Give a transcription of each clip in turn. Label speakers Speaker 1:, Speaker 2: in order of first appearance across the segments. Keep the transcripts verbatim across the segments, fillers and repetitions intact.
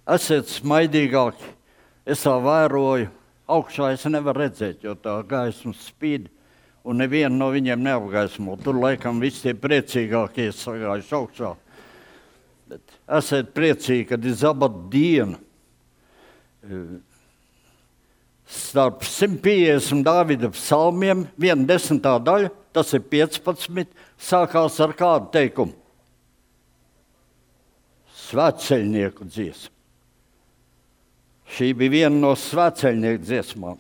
Speaker 1: Esiet smaidīgāki. Es tā vēroju. Augšā es nevaru redzēt, jo tā gaisma spīd, un nevienu no viņiem neapgaismo. Tur laikam visi tie priecīgākie sagājuši augšā. Bet esiet priecīgi, kad ir sabata diena. Starp simt piecdesmit Dāvida psalmiem, viena desmitā daļa, tas ir piecpadsmit, sākās ar kādu teikumu? Svētceļnieku dziesma. Šī bija viena no svētceļnieku dziesmām,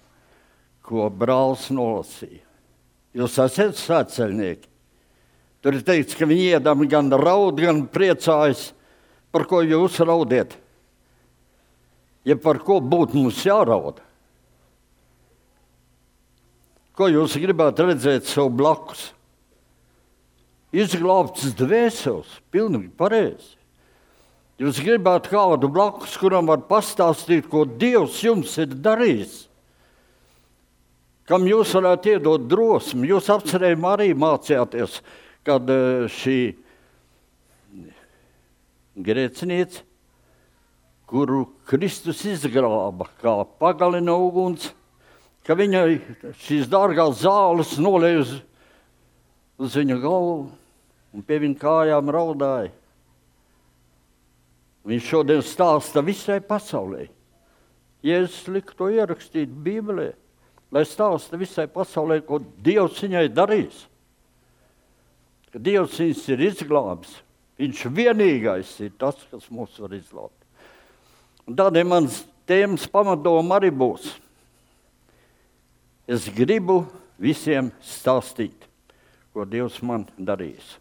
Speaker 1: ko brālis nolasīja. Jūs esat svētceļnieki. Tur ir teikts, ka viņi iedam gan raud, gan priecājas, par ko jūs raudiet. Ja par ko būtu mums jārauda. Ko jūs gribētu redzēt sev blakus? Izglābts dvēseles, pilnīgi pareizi. Jūs gribētu kādu blakus, kuram var pastāstīt, ko Dievs jums ir darījis. Kam jūs varētu iedot drosmi. Jūs apcerējumā arī mācījāties, kad šī grēcinieca, kuru Kristus izglāba, kā pagalina uguns, ka viņai šīs dārgās zāles nolēja uz, uz viņa galvu un pie viņa kājām raudāja. Viņš šodien stāsta visai pasaulē. Jēzus lika to ierakstīt Bībelē, lai stāsta visai pasaulē, ko Dievs viņai darīs. Ka Dievs viņus ir izglābis. Viņš vienīgais ir tas, kas mūs var izglābt. Un tādēļ mans tēmas pamatdoma arī būs. Es gribu visiem stāstīt, ko Dievs man darīs.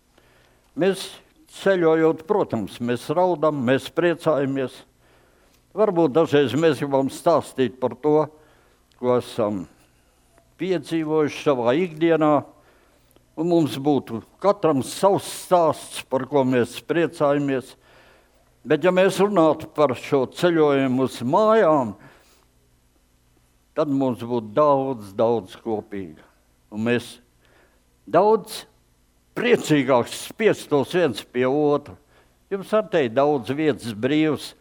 Speaker 1: Mēs ceļojot, protams, mēs raudam, mēs priecājamies. Varbūt dažreiz mēs gribam stāstīt par to, ko esam piedzīvojuši savā ikdienā, un mums būtu katram savs stāsts, par ko mēs priecājamies. Bet ja mēs runātu par šo ceļojumu uz mājām, tad mums būtu daudz, daudz kopīga. Un mēs daudz priecīgāks spiestos viens pie otra. Jums ar te daudz vietas brīvs,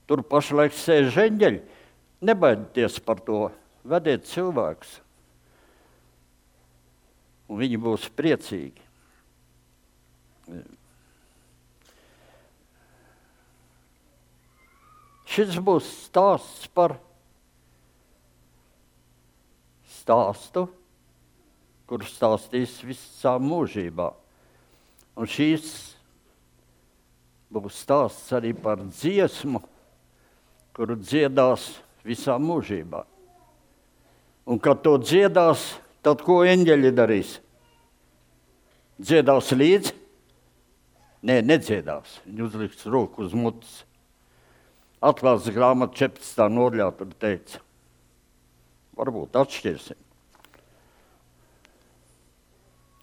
Speaker 1: tur pašlaik sēž eņģeļi. Nebaidieties par to, vediet cilvēkus. Un viņi būs priecīgi. Šis būs stāsts par stāstu, kur stāstīs visā mūžībā. Un šīs būs stāsts arī par dziesmu, kuru dziedās visā mūžībā. Un kad to dziedās, tad ko eņģeļi darīs? Dziedās līdzi? Nē, nedziedās. Viņi uzliks roku uz mutes. Atklāsmes grāmata četrpadsmitā nodaļā tur teica. Varbūt atšķirsim.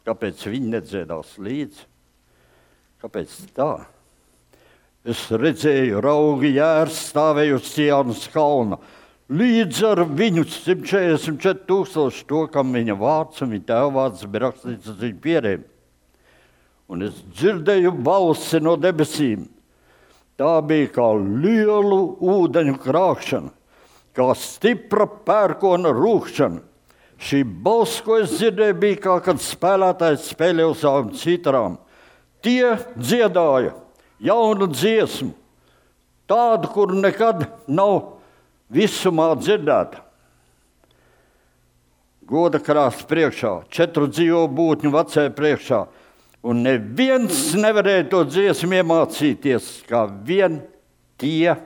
Speaker 1: Kāpēc viņi nedziedās līdzi? Kāpēc tā? Es redzēju raugi jērs stāvēju uz Sionas kalna. Līdz ar viņu simt četrdesmit četri tūkstoši to, kam viņa vārds un viņa tēva vārds bija rakstīts uz viņa pierēm. Un es dzirdēju balsi no debesīm. Tā bija kā lielu ūdeņu krākšana, kā stipra pērkona rūkšana. Šī balss, ko es dzirdēju, bija kā, kad spēlētājs spēlē uz savām citarām. Tie dziedāja jaunu dziesmu, tādu, kur nekad nav visumā dzirdēta. Goda krāsts priekšā, četru dzīvo būtņu vecē priekšā, un neviens nevarēja to dziesmu iemācīties, kā vien tie,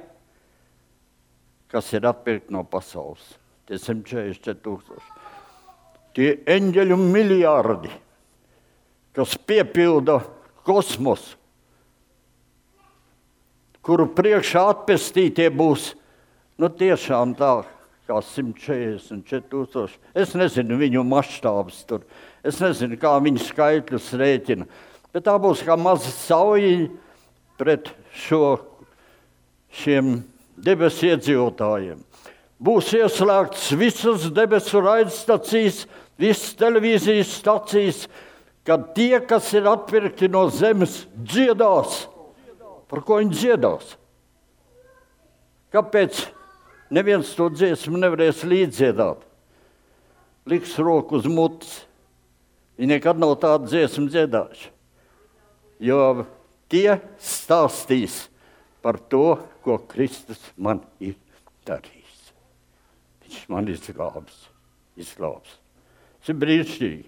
Speaker 1: kas ir atpirkti no pasaules. Tie simt četrdesmit četri tūkstoši. Tie eņģeļu miljārdi, kas piepilda kosmosu, kuru priekšā atpestītie būs, nu tiešām tā, kā simt četrdesmit četri tūkstoši. Es nezinu viņu maštābus tur, es nezinu, kā viņu skaitļus rēķina, bet tā būs kā maza saujiņa pret šo, šiem debesu iedzīvotājiem. Būs ieslēgts visas debesu raidstacijas, visas televīzijas stacijas, kad tie, kas ir atpirkti no zemes, dziedās. Par ko viņi dziedās? Kāpēc neviens to dziesmu nevarēs līdziedāt? Liks roku uz mutes. Viņi nekad nav tādu dziesmu dziedājuši. Jo tie stāstīs par to, ko Kristus man ir darījis. Viņš man izglābs. Izglābs. Tas ir brīnišķīgi.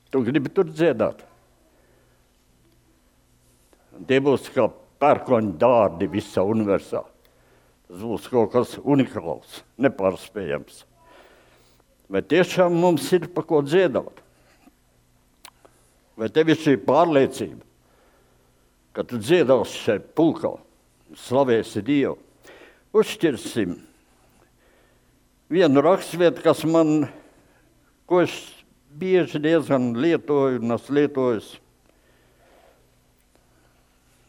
Speaker 1: Tu gribi tur dziedāt. Tie būs kā pērkoņu dārdi visā universā. Tas būs kaut kas unikāls, nepārspējams. Vai tiešām mums ir pa ko dziedāt? Vai tev ir šī pārliecība, ka tu dziedāsi šeit pulkā, slavēsi Dievu? Uzšķirsim vienu rakstvietu, kas man, ko es bieži diezgan lietoju un es lietojos.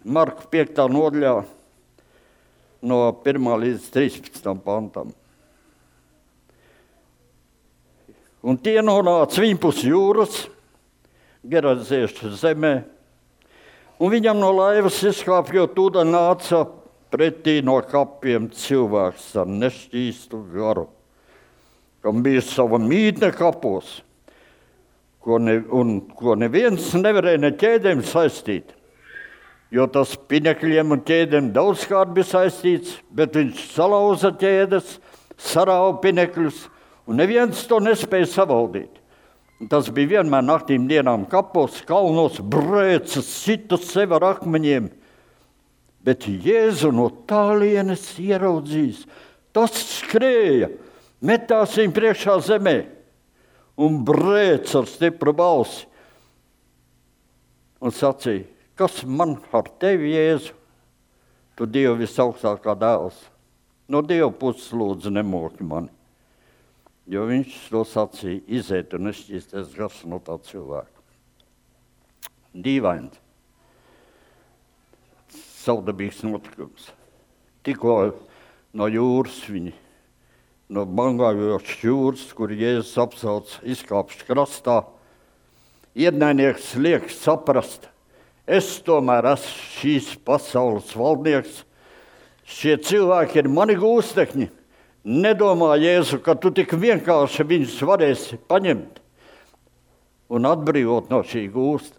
Speaker 1: Marka piektā nodaļā no pirmā līdz trīspadsmitam pantam. Un tie nonāca viņpus jūras, Geraziešu zemē, un viņam no laivas izkāpjot ūdeni nāca pretī no kapiem cilvēks ar nešķīstu garu, kam bija sava mītne kapos, ko ne, un ko neviens nevarēja ne ķēdēm saistīt, jo tas pinekļiem un ķēdēm daudzkārt bija saistīts, bet viņš salauza ķēdes, sarāva pinekļus, un neviens to nespēja savaldīt. Tas bija vienmēr naktīm dienām kapos, kalnos, brēcas, sita sev ar akmeņiem. Bet Jēzu no tālienes ieraudzījis. Tas skrēja, metās viņu priekšā zemē un brēca ar stipru balsi. Un sacīja, kas man ar tevi, Jēzu? Tu Dievu visaugstākā dēls. No Dieva puses lūdzu nemoki mani. Jo viņš to sacīja, iziet un nešķīsties gars no tā cilvēka. Dīvaini. Savdabīgs notikums. Tikko no jūras viņi, no bangājošas jūras, kur Jēzus apsauc, izkāpš krastā, ienaidnieks liek saprast, es tomēr esmu šīs pasaules valdnieks, šie cilvēki ir mani gūstekņi. Nedomā, Jēzu, ka tu tik vienkārši viņus varēsi paņemt un atbrīvot no šī gūsta.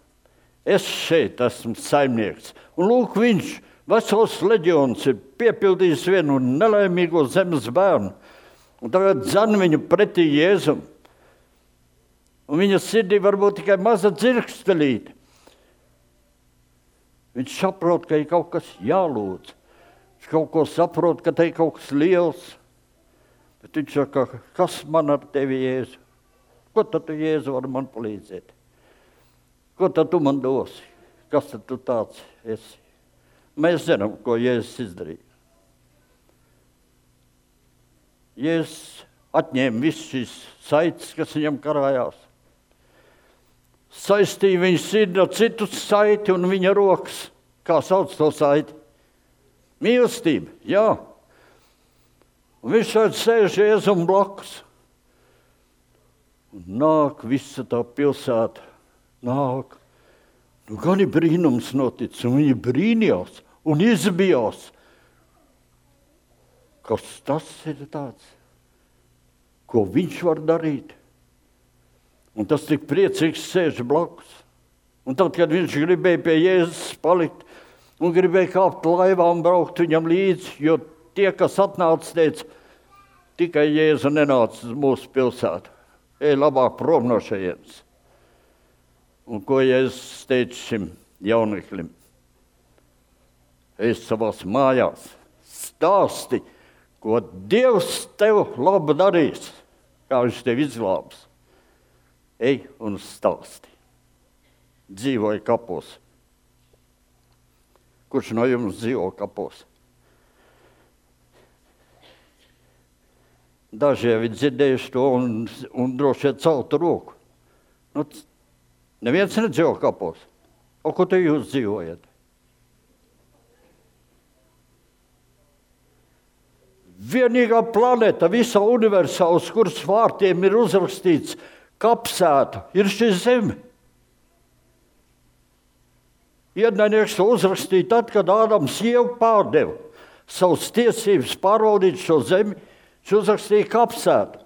Speaker 1: Es šeit esmu saimnieks. Un lūk, viņš, vesels leģions, ir piepildījis vienu nelaimīgo zemes bērnu. Un tagad dzen viņu pretī Jēzum. Un viņa sirdī varbūt tikai maza dzirkstelīte. Viņš saprot, ka ir kaut kas jālūdz. Viņš kaut ko saprot, ka te ir kaut kas liels. Bet viņš saka, kas man ar tevi, Jēzu? Ko tad tu, Jēzu, vari man palīdzēt? Ko tad tu man dosi? Kas tad tu tāds esi? Mēs zinām, ko Jēzus izdarīja. Jēzus atņēma visu šīs saites, kas viņam karājās. Saistīja viņa sirdi ar citu saiti un viņa rokas. Kā sauc to saiti? Mīlestība, jā. Un viņš šeit sēž Jēzum blakus. Un nāk visa tā pilsēta. Nāk. Nu, gan ir brīnums noticis, un viņi brīnījās un izbijās. Kas tas ir tāds? Ko viņš var darīt? Un tas tik priecīgs sēž blakus. Un tad, kad viņš gribēja pie Jēzus palikt un gribēja kāpt laivā un braukt viņam līdzi, jo tie, kas atnāca, teica, tikai Jēzu nenāca uz mūsu pilsētu. Ej labāk prom no šejienes. Un ko Jēzus teica šim jauneklim? Ej savās mājās, stāsti, ko Dievs tev labu darīs, kā viņš tev izglābs. Ej un stāsti. Dzīvoja kapos. Kurš no jums dzīvo kapos? Daži jau ir dzirdējuši to un, un droši vien celtu roku. Nu, neviens nedzīvo kapos. O, ko te jūs dzīvojat? Vienīgā planēta visā universā, uz kuras vārtiem ir uzrakstīts kapsēta, ir šī zeme. Ienaidnieks to uzrakstīja tad, kad Ādams sievu pārdeva. savas tiesības pārvaldīt šo zemi, viņš uzrakstīja kapsētu.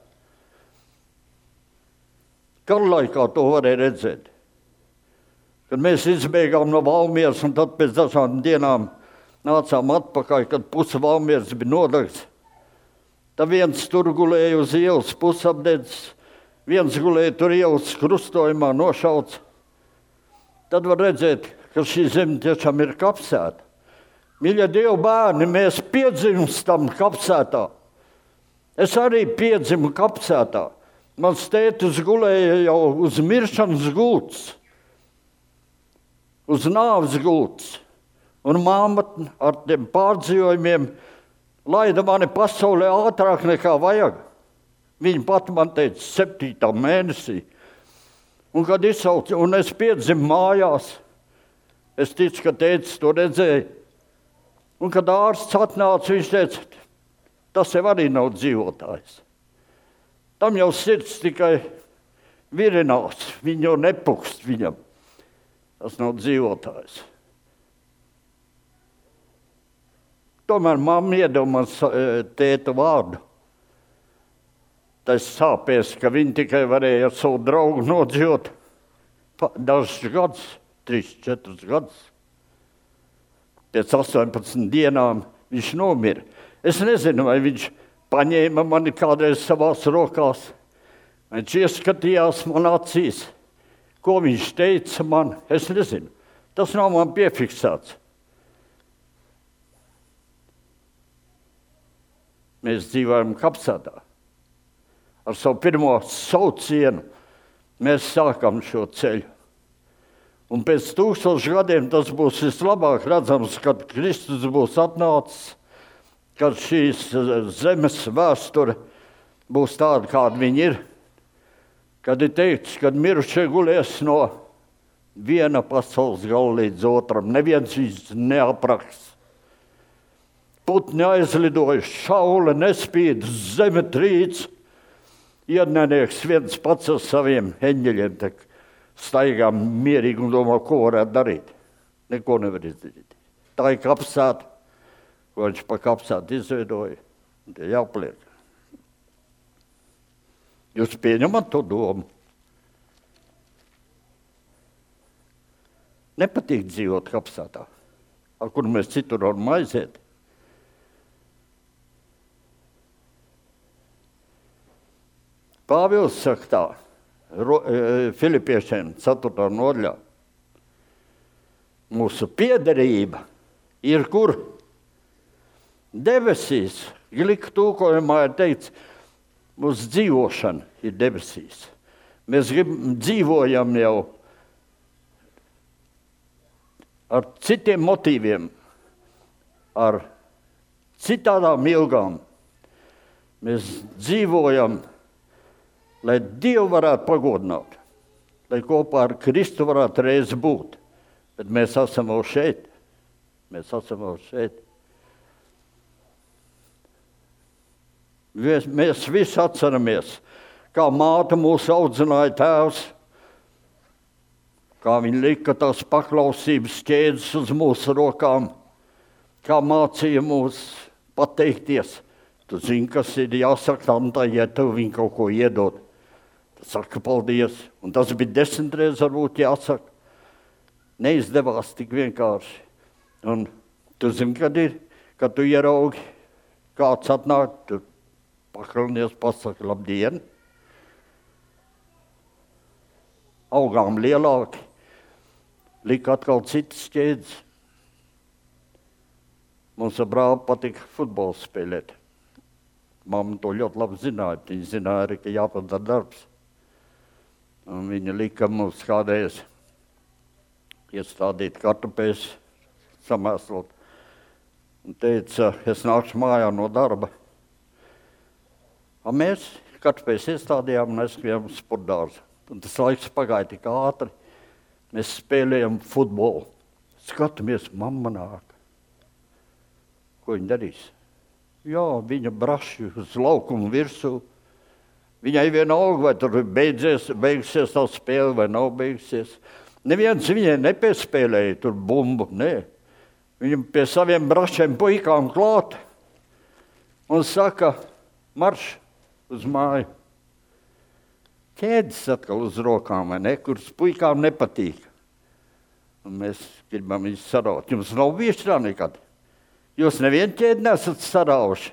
Speaker 1: Karlaikā to varēja redzēt. Kad mēs izbēgām no Valmieras un tad pēc dažām dienām nācām atpakaļ, kad puse Valmieras bija nodegts. Tad viens tur gulēja uz ielas pusapdedzis, viens gulēja tur ielas krustojumā nošauts. Tad var redzēt, ka šī zeme tiešām ir kapsēta. Mīļie Dieva bērni, mēs piedzimstam kapsētā. Es arī piedzimu kapsētā. Mans tētis gulēja jau uz miršanas gultas, uz nāves gultas. Un māma ar tiem pārdzīvojumiem laida mani pasaulē ātrāk nekā vajag. Viņa pat man teica septītā mēnesī. Un kad izsauca, un es piedzimu mājās, es ticu, ka tētis to redzēja. Un kad ārsts atnāca, viņš teica, tas jau arī nav dzīvotājs. Tam jau sirds tikai virinās, viņa jau nepukst viņam. Tas nav dzīvotājs. Tomēr mamma iedeva man tēta vārdu. Tas sāpēs, ka viņi tikai varēja ar savu draugu nodzīvot dažus gadus, trīs, četrus gadus. Pēc astoņpadsmit dienām viņš nomira. Es nezinu, vai viņš paņēma mani kādreiz savās rokās. Viņš ieskatījās man acīs. Ko viņš teica man, es nezinu. Tas nav man piefiksēts. Mēs dzīvojam kapsētā. Ar savu pirmo saucienu mēs sākam šo ceļu. Un pēc tūkstošu gadiem tas būs vislabāk redzams, kad Kristus būs atnācis, kad šīs zemes vēsture būs tāda, kāda viņa ir. Kad ir teikts, kad mirušie gulies no viena pasaules gala līdz otram, neviens viņus neapraksts. Putni aizlidojuši, šaule nespīd, zeme trīc, iednenieks viens pats ar saviem eņģeļiem tak staigā mierīgi un domā, ko varētu darīt. Neko nevar izdarīt. Tā ir kapsēta, ko viņš pa kapsētu izveidoja. Tie jāpliek. Jūs pieņemat to domu? Nepatīk dzīvot kapsētā, ar kuru mēs citur varam aiziet. Pāvils saka tā, Filipiešiem ceturtā nodaļā. Mūsu piederība ir kur? Debesīs. Glika tūkojumā ir teikts, mūsu dzīvošana ir debesīs. Mēs grib, dzīvojam jau ar citiem motīviem, ar citādām ilgām. Mēs dzīvojam, lai Dievu varētu pagodināt, lai kopā ar Kristu varētu reiz būt. Bet mēs esam jau šeit. Mēs esam jau šeit. Mēs, mēs visi atceramies, kā māte mūs audzināja tēvs, kā viņa lika tās paklausības ķēdes uz mūsu rokām, kā mācīja mūs pateikties. Tu zini, kas ir jāsaka tantai, ja tev viņa kaut ko iedod. Saka paldies, un tas bija desmit reizes varbūt jāsaka. Neizdevās tik vienkārši. Un tu zini, kad ir, kad tu ieraugi, kāds atnāk, tu pakalnies, pasaka labdien. Augām lielāki, lika atkal citas ķēdes. Mums ar brāli patika futbolu spēlēt. Mamma to ļoti labi zināja, viņa zināja arī, ka jāpadara darbs. Un viņa lika mums kādreiz iestādīt kartupēs, samēslot. Un teica, es nākšu mājā no darba. Un mēs kartupēs iestādījām un aizskrijām sportdārzu. Un tas laiks pagāja tik ātri. Mēs spēlējam futbolu. Skatamies, mamma nāk. Ko viņa darīs? Jā, viņa braši uz laukumu virsū. Viņai vienalga, vai tur beidzies, beigsies tā spēle vai nav beigsies. Neviens viņai nepiespēlēja tur bumbu, nē. Viņam pie saviem brašiem puikām klāt un saka, marš uz māju. Ķēdes atkal uz rokām, vai ne, kuras puikām nepatīk. Un mēs gribam viņus saraut. Jums nav bijuši tā nekad. Jūs nevienu ķēdi nesat sarauši.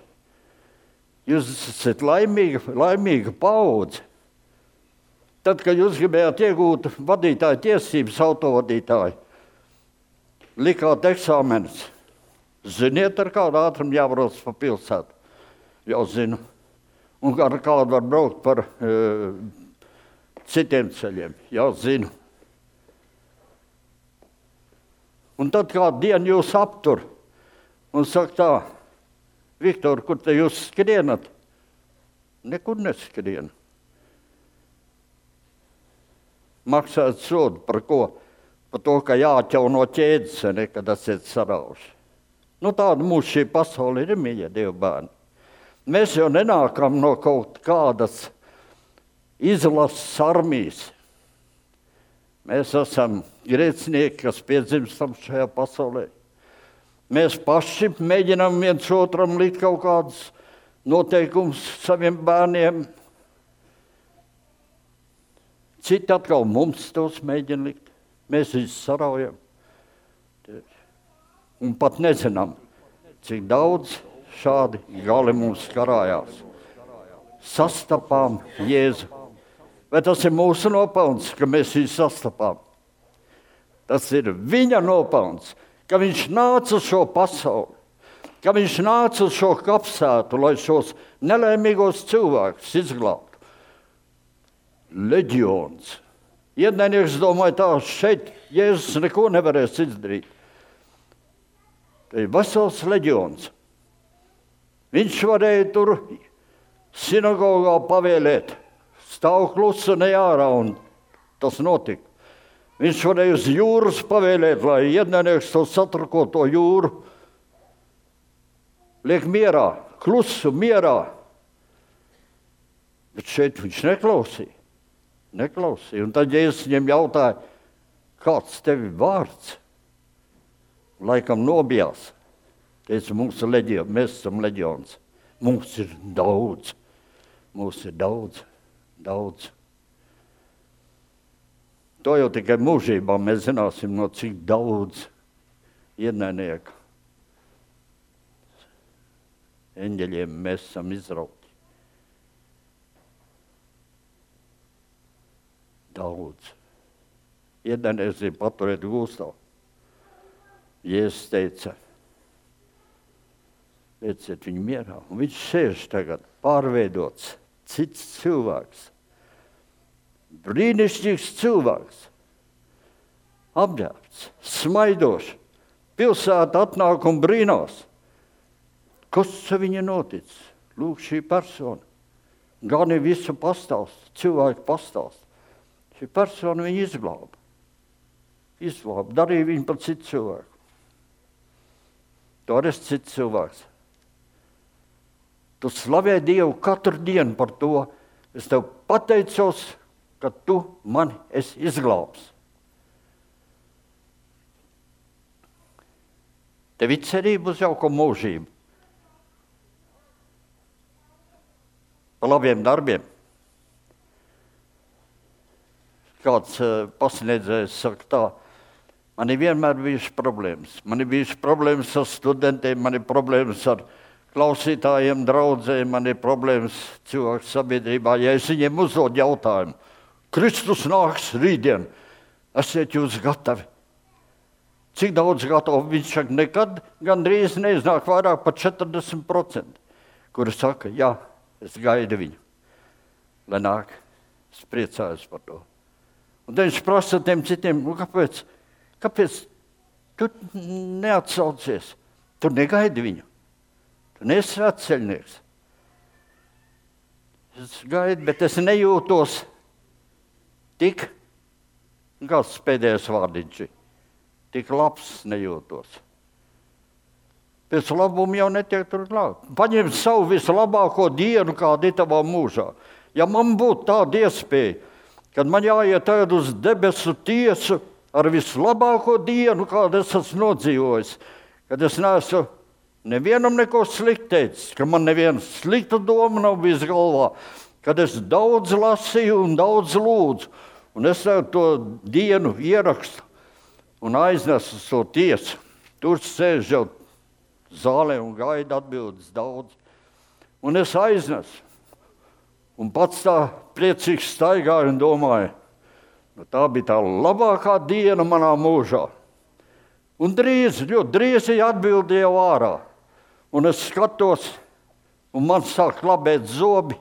Speaker 1: Jūs esat laimīga, laimīga paudze. Tad, kad jūs gribējāt iegūt vadītāju tiesības, autovadītāju, likāt eksāmenus. Ziniet, ar kādu ātrumu jābrauc pa pilsētu? Jau zinu. Un ar kādu var braukt par e, citiem ceļiem? Jau zinu. Un tad kādu dienu jūs aptur un saka tā, Viktor, kur te jūs skrienat? Nekur neskrienu. Maksāt sodu par ko? Par to, ka jāķauno ķēdes, nekad esat sarauši. Nu tāda mūsu šī pasaule ir, mīļie Dieva bērni. Mēs jau nenākam no kaut kādas izlases armijas. Mēs esam grēcinieki, kas piedzimstam šajā pasaulē. Mēs paši mēģinām viens otram likt kaut kādus noteikumus saviem bērniem. Citi atkal mums tos mēģina likt. Mēs viņus saraujam. Un pat nezinām, cik daudz šādi gali mums karājās. Sastapām Jēzu. Vai tas ir mūsu nopelns, ka mēs viņu sastapām? Tas ir viņa nopelns, ka viņš nāca uz šo pasauli, ka viņš nāca uz šo kapsētu, lai šos nelaimīgos cilvēkus izglābtu. Leģions. Ienaidnieks domāja tā, šeit Jēzus neko nevarēs izdarīt. Tā ir vesels leģions. Viņš varēja tur sinagogā pavēlēt, stāv klusu ne ārā, un tas notika. Viņš varēja uz jūras pavēlēt, lai ienaidnieks to satrakoto jūru liek mierā, klusu mierā. Bet šeit viņš neklausīja. Neklausīja. Un tad Jēzus viņam jautāja, kāds tevi vārds? Laikam nobijās. Teica, mums ir leģions, mēs esam leģions. Mums ir daudz. Mums ir daudz, daudz. To jau tikai mūžībā mēs zināsim, no cik daudz ienaidnieku eņģeļiem mēs esam izrauti. Daudz. Ienaidnieks ir paturēt gūstā. Jēzus teica, lieciet viņu mierā. Un viņš sēž tagad pārveidots, cits cilvēks. Brīnišķīgs cilvēks. Apģērbts, smaidošs. Pilsēta atnāk un brīnās. Kas viņa noticis? Lūk, šī persona. Gani visu pastāst, cilvēku pastāst. Šī persona viņu izglāba. Izglāba, darīja viņu par citu cilvēku. Tu arī esi cits cilvēks. Tu slavē Dievu katru dienu par to. Es tev pateicos, ka tu mani esi izglābs. Tev ir cerība uz jauko mūžību. Par labiem darbiem. Kāds uh, pasniedzējs saka tā, man ir vienmēr bijušas problēmas. Man ir bijušas problēmas ar studentiem, man ir problēmas ar klausītājiem, draudzēm, man ir problēmas cilvēku sabiedrībā. Ja es viņiem uzdod jautājumu, Kristus nāks rītdien, esiet jūs gatavi? Cik daudz gatavi? Viņš saka, nekad gandrīz neiznāk vairāk par četrdesmit procenti, kuri saka, jā, es gaidu viņu, lai nāk, es priecājos par to. Un tad viņš prasa tiem citiem, nu, kāpēc, kāpēc tu neatsaucies? Tu negaidi viņu. Tu neesi svētceļnieks. Es gaidu, bet es nejūtos tik, kāds pēdējais vārdiņš ir, tik labs nejūtos. Pēc labuma jau netiek tur klāt. Paņem savu vislabāko dienu, kāda ir tavā mūžā. Ja man būtu tāda iespēja, kad man jāiet tagad uz debesu tiesu ar vislabāko dienu, kādu es esmu nodzīvojis, kad es neesmu nevienam neko sliktu teicis, ka man neviena slikta doma nav bijis galvā, kad es daudz lasīju un daudz lūdzu, un es to dienu ierakstu un aiznesu uz to tiesu. Tur sēž jau zālē un gaida atbildes daudz. Un es aiznesu. Un pats tā priecīgs staigāju un domāju, nu, tā bija tā labākā diena manā mūžā. Un drīz, ļoti drīz ir atbildi jau ārā. Un es skatos, un man sāk klabēt zobi,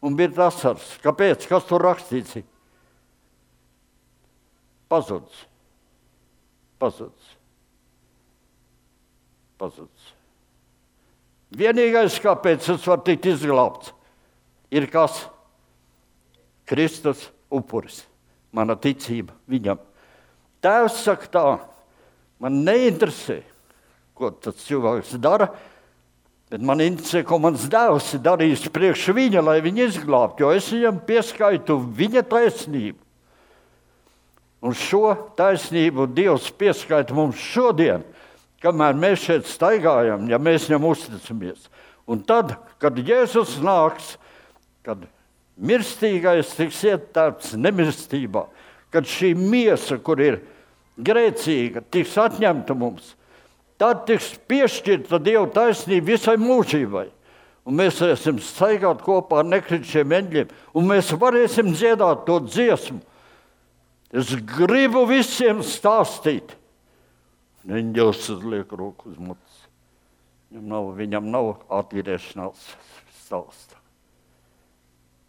Speaker 1: un bija asars. Kāpēc? Kas tur rakstīts? Pazudis. Pazudis. Pazudis. Vienīgais, kāpēc es varu tikt izglābts, ir kas? Kristus upuris. Mana ticība viņam. Tēvs saka tā, man neinteresē, ko tas cilvēks dara, bet man interesē, ko mans dēvs ir darījis priekš viņa, lai viņu izglābtu, jo es viņam pieskaitu viņa taisnību. Un šo taisnību Dievs pieskaita mums šodien, kamēr mēs šeit staigājam, ja mēs viņam uzticamies. Un tad, kad Jēzus nāks, kad mirstīgais tiks ietērpts nemirstībā, kad šī miesa, kur ir grēcīga, tiks atņemta mums, tad tiks piešķirta Dieva taisnība visai mūžībai. Un mēs varēsim staigāt kopā ar nekrišiem eņģiem, un mēs varēsim dziedāt to dziesmu. Es gribu visiem stāstīt. Eņģelis uzliek roku uz mutes. Viņam nav, viņam nav atgriešanās stāsta.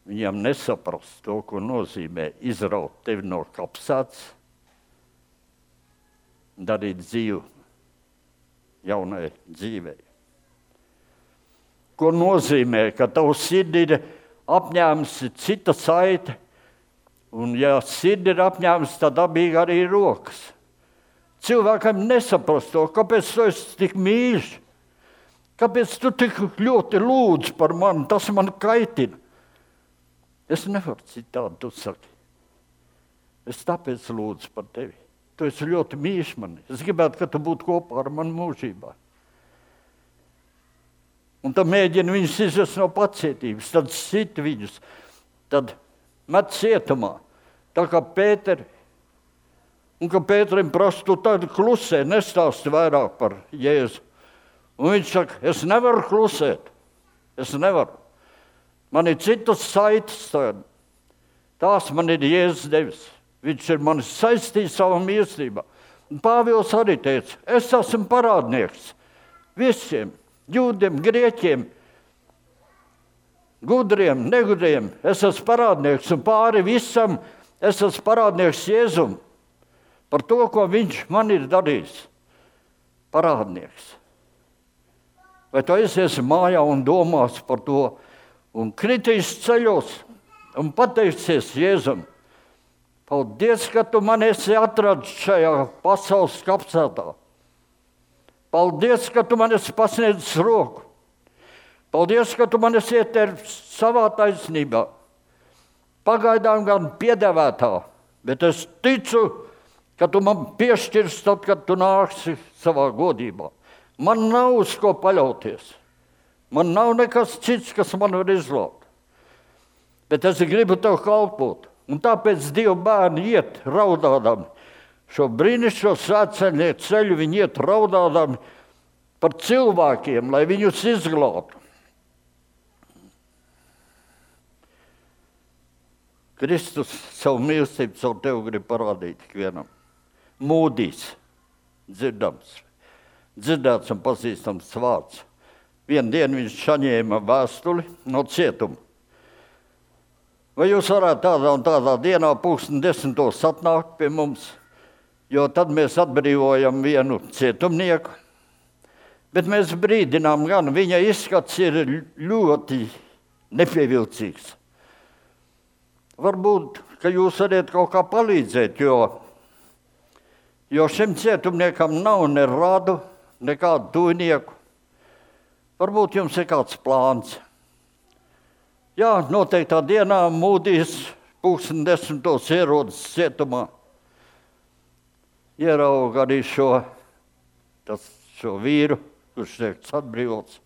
Speaker 1: Viņam nesaprast to, ko nozīmē izraut tevi no kapsētas, darīt dzīvi jaunai dzīvei. Ko nozīmē, ka tavu sirdi ir apņēmusi cita saite, un ja sirdi ir apņēmusi, tad dabīgi arī rokas. Cilvēkam nesaprast to, kāpēc tu esi tik mīļš, kāpēc tu tik ļoti lūdz par mani, tas man kaitina. Es nevaru citādi, tu saki. Es tāpēc lūdzu par tevi. Tu esi ļoti mīļš mani. Es gribētu, ka tu būtu kopā ar mani mūžībā. Un tad mēģina viņus izvest no pacietības, tad sit viņus, tad met cietumā. Tā kā Pēteri. Un ka Pēterim prasa, tu tad klusē, nestāsti vairāk par Jēzu. Un viņš saka, es nevaru klusēt. Es nevaru. Man ir citas saites. Tās man ir Jēzus devis. Viņš ir mani saistījis savā mīlestībā. Un Pāvils arī teica, es esmu parādnieks visiem, jūdiem, grieķiem, gudriem, negudriem. Es esmu parādnieks un pāri visam es esmu parādnieks Jēzum par to, ko viņš man ir darījis. Parādnieks. Vai tu aiziesi mājā un domās par to un kritīs ceļos un pateiksies Jēzum, paldies, ka tu man esi atradis šajā pasaules kapsētā. Paldies, ka tu man esi pasniedzis roku. Paldies, ka tu man esi ietērpis savā taisnībā. Pagaidām gan piedēvētā, bet es ticu, ka tu man piešķirs tad, kad tu nāksi savā godībā. Man nav uz ko paļauties. Man nav nekas cits, kas man var izglābt. Bet es gribu tev kalpot. Un tāpēc Dieva bērni iet raudādami. Šo brīnišķo svētceļnieku ceļu viņi iet raudādami par cilvēkiem, lai viņus izglābtu. Kristus savu mīlestību savu tev grib parādīt ikvienam. Mūdīs, dzirdams, dzirdēts un pazīstams vārds. Vienu dienu viņš saņēma vēstuli no cietuma. Vai jūs varētu tādā un tādā dienā pulksten desmitos atnākt pie mums, jo tad mēs atbrīvojam vienu cietumnieku, bet mēs brīdinām gan, viņa izskats ir ļoti nepievilcīgs. Varbūt, ka jūs varat kaut kā palīdzēt, jo, jo šim cietumniekam nav ne radu, nekādu tuvnieku. Varbūt jums ir kāds plāns. Jā, noteiktā dienā Mūdīs pulksten desmitos ierodas cietumā. Ierauga arī šo, tas, šo vīru, kurš tiek atbrīvots.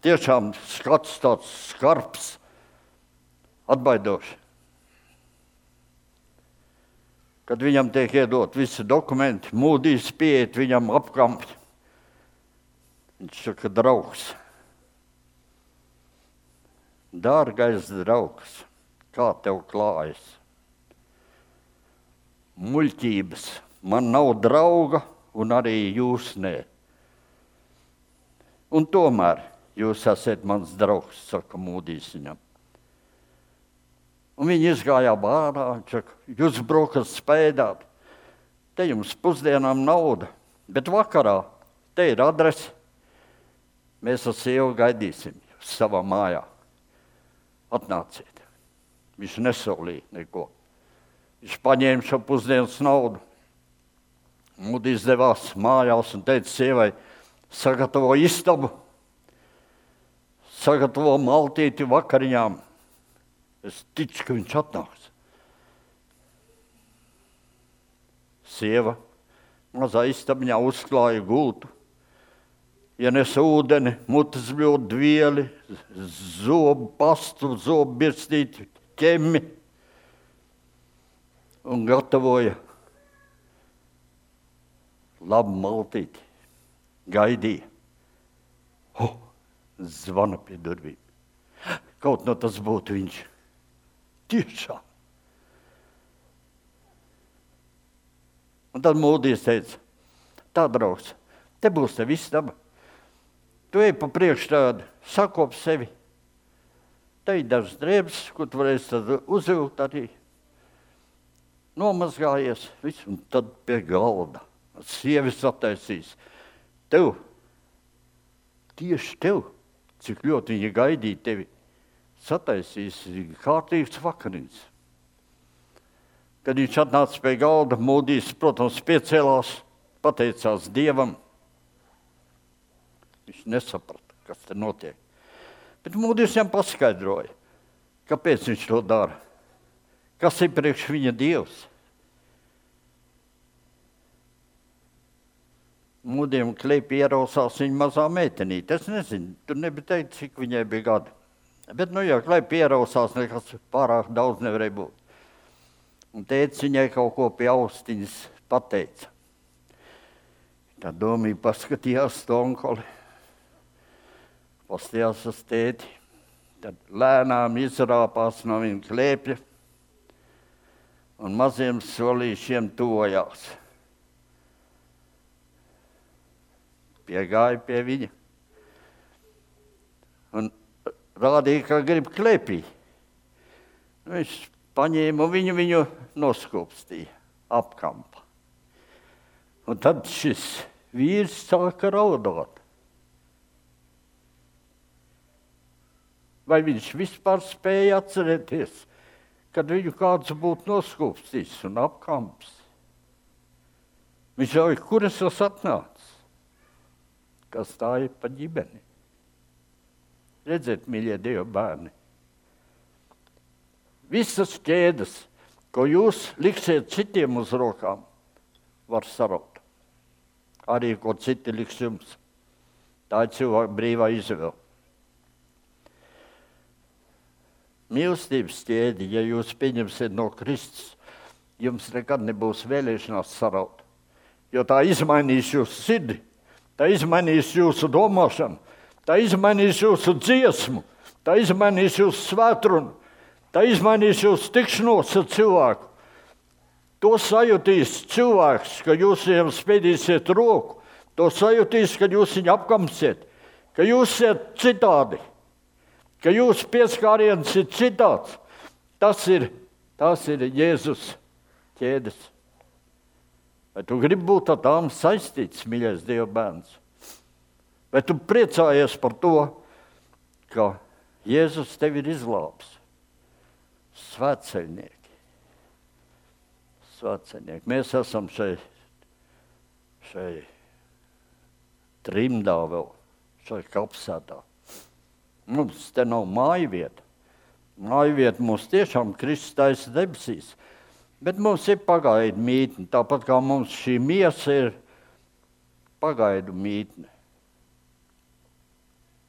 Speaker 1: Tiešām skats tāds skarbs, atbaidošs. Kad viņam tiek iedot visi dokumenti, Mūdīs pieiet viņam apkampi. Viņš saka, draugs. Dārgais draugs, kā tev klājas? Muļķības, man nav drauga un arī jūs nē. Un tomēr jūs esat mans draugs, saka Mūdīs viņam. Un viņi izgāja bārā, saka, jūs brokas spēdāt, te jums pusdienām nauda, bet vakarā te ir adrese, mēs ar sievu gaidīsim jūs savā mājā. Atnāciet. Viņš nesolīja neko. Viņš paņēma šo pusdienas naudu. Mūdīs devās mājās un teica sievai, sagatavo istabu, sagatavo maltīti vakariņām. Es ticu, ka viņš atnāks. Sieva mazā istabiņā uzklāja gultu, ienes ūdeni, mutes bļodu vieli, zobu pastu, zobu birstīti, ķemmi un gatavoja labu maltīti. Gaidīja. Ho, zvana pie durvīm. Kaut no tas būtu viņš. Tiešām. Un tad Mūdīs teica, tā, draugs, te būs te viss daba. Tu ej pa priekšu tādu, sakop sevi. Te ir dažas drēbes, ko tu varēsi tad uzvilkt arī. Nomazgājies, viss, un tad pie galda. Sievis attaisīs. Tev, tieši tev, cik ļoti viņa gaidīja tevi, sataisīs kārtīgs vakariņas. Kad viņš atnāca pie galda, Mūdīs, protams, piecēlās, pateicās Dievam. Viņš nesaprata, kas te notiek. Bet Mūdīs viņam paskaidroja, kāpēc viņš to dara. Kas ir priekš viņa Dievs? Mūdiem kleipi ierausās viņa mazā meitenīte. Es nezinu, tur nebija teikt, cik viņai bija gadi. Bet, nu, ja kleipi ierausās, nekas pārāk daudz nevarēja būt. Un tētis viņai kaut ko pie austiņas pateica. Tā domīja paskatījās to onkoli. Pastījās uz tēti, tad lēnām izrāpās no viņa klēpja un maziem solīšiem tojās. Piegāja pie viņa un rādīja, ka grib klēpī. Viņš paņēma viņu, viņu noskopstīja apkampa. Un tad šis vīrs sāka raudāt. Vai viņš vispār spēja atcerēties, kad viņu kāds būtu noskūpstījis un apkamps? Viņš jau ir, kur es esmu atnācis? Kas tā ir pa ģimeni? Redziet, mīļie Dieva bērni, visas ķēdes, ko jūs liksiet citiem uz rokām, var saraut. Arī, ko citi liks jums. Tā ir cilvēka brīvā izvēle. Mīlestības ķēdi, ja jūs pieņemsiet no Kristus, jums nekad nebūs vēlēšanās saraut. Jo tā izmainīs jūsu sirdi, tā izmainīs jūsu domāšanu, tā izmainīs jūsu dziesmu, tā izmainīs jūsu svētrunu, tā izmainīs jūsu tikšanos ar cilvēku. To sajutīs cilvēks, ka jūs viņam spiedīsiet roku, to sajutīs, kad jūs viņu apkamsiet, ka jūs esat citādi. Ka jūsu pieskāriens ir citāds. Tas ir, tas ir Jēzus ķēdes. Vai tu gribi būt ar tām saistīts, mīļais Dieva bērns? Vai tu priecājies par to, ka Jēzus tevi ir izglābs? Svētceļnieki. Svētceļnieki. Mēs esam šai, šai trimdā vēl, šai kapsētā. Mums te nav māju vieta. Māju vieta mums tiešām Kristus taisa debesīs. Bet mums ir pagaidu mītne, tāpat kā mums šī miesa ir pagaidu mītne.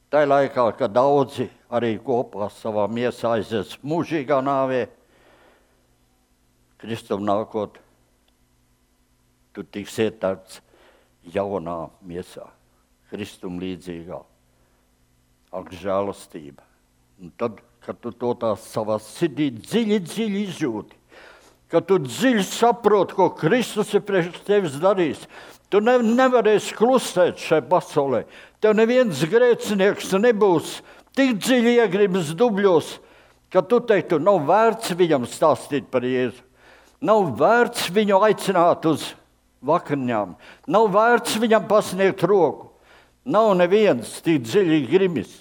Speaker 1: Tā laikā, kad daudzi arī kopā savā miesā aizies mūžīgā nāvē, Kristum nākot, tu tiks ietērts jaunā miesā, Kristum līdzīgā, ak žēlastība. Un tad, kad tu to tā savā sirdī dziļi, dziļi izjūti, kad tu dziļi saproti, ko Kristus ir priekš tevis darījis, tu ne, nevarēsi klusēt šai pasaulē. Tev neviens grēcinieks nebūs tik dziļi iegribas dubļos, ka tu teiktu, nav vērts viņam stāstīt par Jēzu. Nav vērts viņu aicināt uz vakariņām. Nav vērts viņam pasniegt roku. Nav neviens tik dziļi grimis,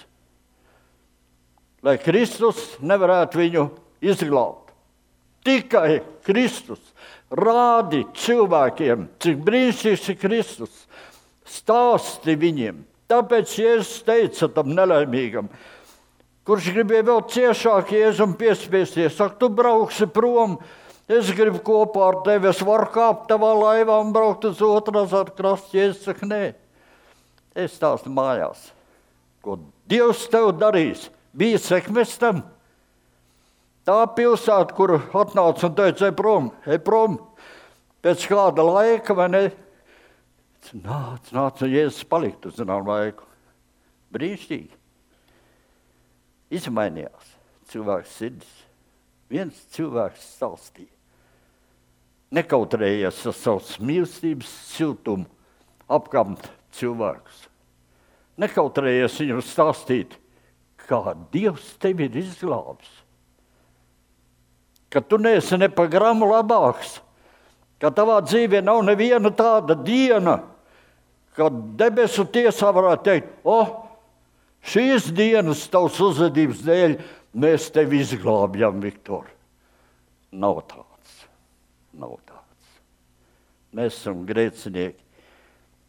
Speaker 1: lai Kristus nevarētu viņu izglābt. Tikai Kristus rādi cilvēkiem, cik brīnišķīgs ir Kristus. Stāsti viņiem. Tāpēc Jēzus teica tam nelaimīgam, kurš gribēja vēl ciešāk Jēzum piespiesties, saka, tu brauksi prom, es gribu kopā ar tevi, es varu kāpt tavā laivā un braukt uz otras ar krastu. Jēzus saka, nē, es stāstu mājās, ko Dievs tev darīs. Bija sekmes tam. Tā pilsēta, kur atnāca un teica, ej prom, ej prom, pēc kāda laika, vai ne? Nāc, nāc, un Jēzus palikt uz zinām laiku. Brīnišķīgi. Izmainījās cilvēks sirdis. Viens cilvēks stāstīja. Nekautrējies ar savas mīlestības siltumu apkamt cilvēkus. Nekautrējies viņam stāstīt, kā Dievs tevi ir izglābis. Ka tu neesi ne pa gramu labāks, ka tavā dzīvē nav neviena tāda diena, kad debesu tiesā varētu teikt, o, šīs dienas tavs uzvedības dēļ mēs tevi izglābjam, Viktor. Nav tāds. Nav tāds. Mēs esam grēcinieki.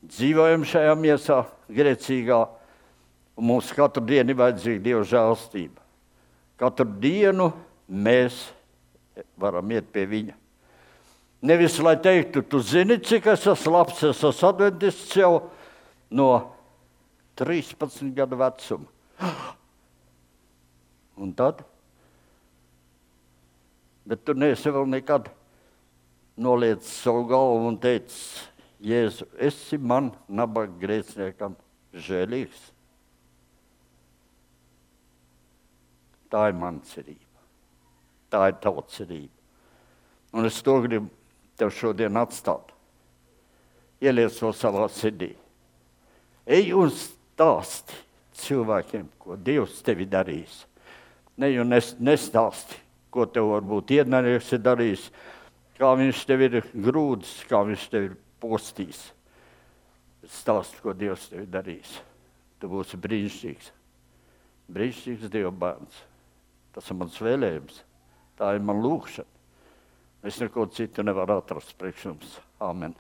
Speaker 1: Dzīvojam šajā miesā grēcīgā, un mums katru dienu ir vajadzīga Dieva žēlstība. Katru dienu mēs varam iet pie viņa. Nevis, lai teiktu, tu zini, cik es esmu labs, es esmu adventists jau no trīspadsmit gadu vecuma. Un tad? Bet tu neesi vēl nekad noliec savu galvu un teicis, Jēzu, esi man, nabaga grēciniekam, žēlīgs. Tā ir mana cerība. Tā ir tava cerība. Un es to gribu tev šodien atstāt. Ieliec to savā sirdī. Ej un stāsti cilvēkiem, ko Dievs tevi darīs. Ne jau nestāsti, ko tev varbūt ienaidnieks ir darījis, kā viņš tev ir grūdis, kā viņš tev ir postījis. Stāsti, ko Dievs tev ir darījis. Tu būsi brīnišķīgs. Brīnišķīgs Dieva bērns. Tas ir mans vēlējums. Tā ir man lūkšana. Es neko citu nevaru atrast priekš jums. Āmen.